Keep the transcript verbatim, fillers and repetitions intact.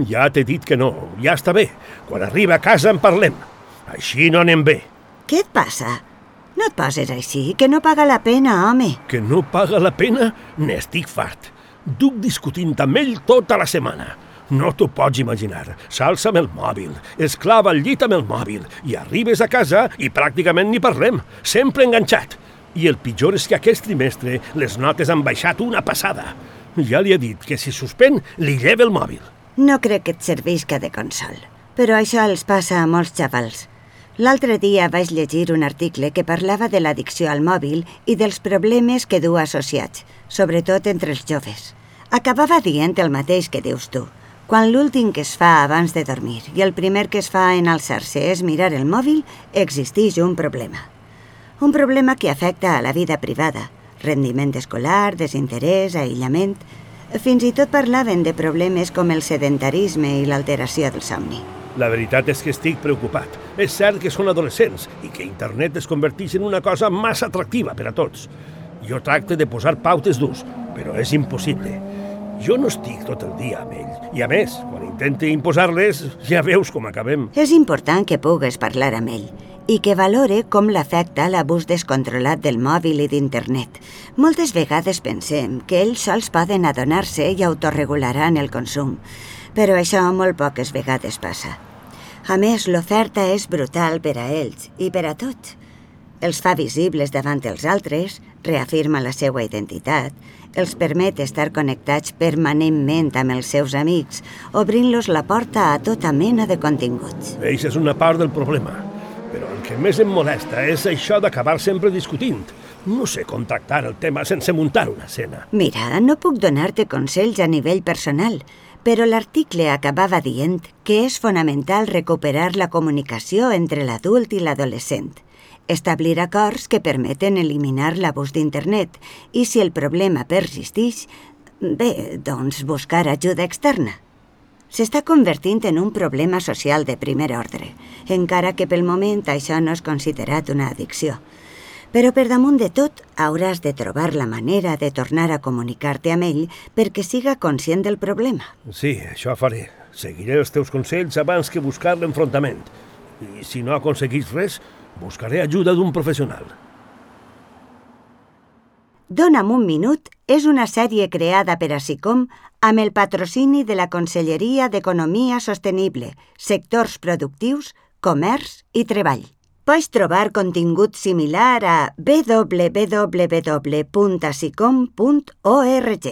Ja t'he dit que no, ja està bé. Quan arriba a casa en parlem. Així no anem bé. Què et passa? No et poses així, que no paga la pena, home. Que no paga la pena? N'estic fart. Duc discutint amb ell tota la setmana. No t'ho pots imaginar. S'alça amb el mòbil, es clava al llit amb el mòbil i arribes a casa i pràcticament ni parlem. Sempre enganxat. I el pitjor és que aquest trimestre les notes han baixat una passada. Ja li he dit que si suspèn, li lleva el mòbil. No crec que et servisca de consol, però això els passa a molts xavals. L'altre dia vaig llegir un article que parlava de l'addicció al mòbil i dels problemes que du associats, sobretot entre els joves. Acabava dient el mateix que dius tu. Quan l'últim que es fa abans de dormir i el primer que es fa en alçar-se és mirar el mòbil, existeix un problema. Un problema que afecta a la vida privada, rendiment escolar, desinterès, aïllament. Fins i tot parlaven de problemes com el sedentarisme i l'alteració del somni. La veritat és que estic preocupat. És cert que són adolescents i que internet es converteix en una cosa massa atractiva per a tots. Jo tracte de posar pautes d'ús, però és impossible. Jo no estic tot el dia amb ell. I a més, quan intente imposar-les, ja veus com acabem. És important que pugues parlar amb ell i que valore com l'afecta l'abús descontrolat del mòbil i d'internet. Moltes vegades pensem que ells sols poden adonar-se i autorregularan el consum, però això molt poques vegades passa. A més, l'oferta és brutal per a ells i per a tots. Els fa visibles davant els altres, reafirma la seva identitat, els permet estar connectats permanentment amb els seus amics, obrint-los la porta a tota mena de continguts. Eixa és una part del problema, però el que més em molesta és això d'acabar sempre discutint. No sé com tractar el tema sense muntar una escena. Mira, no puc donar-te consells a nivell personal, però l'article acabava dient que és fonamental recuperar la comunicació entre l'adult i l'adolescent, establir acords que permeten eliminar l'abús d'internet i, si el problema persisteix, bé, doncs buscar ajuda externa. S'està convertint en un problema social de primer ordre, encara que pel moment això no és considerat una addicció. Però per damunt de tot, hauràs de trobar la manera de tornar a comunicar-te amb ell perquè siga conscient del problema. Sí, això faré. Seguiré els teus consells abans que buscar l'enfrontament. I si no aconseguís res, buscaré ajuda d'un professional. Dona'm un minut és una sèrie creada per a SICOM amb el patrocini de la Conselleria d'Economia Sostenible, Sectors Productius, Comerç i Treball. Pots trobar contingut similar a w w w punt sicom punt org.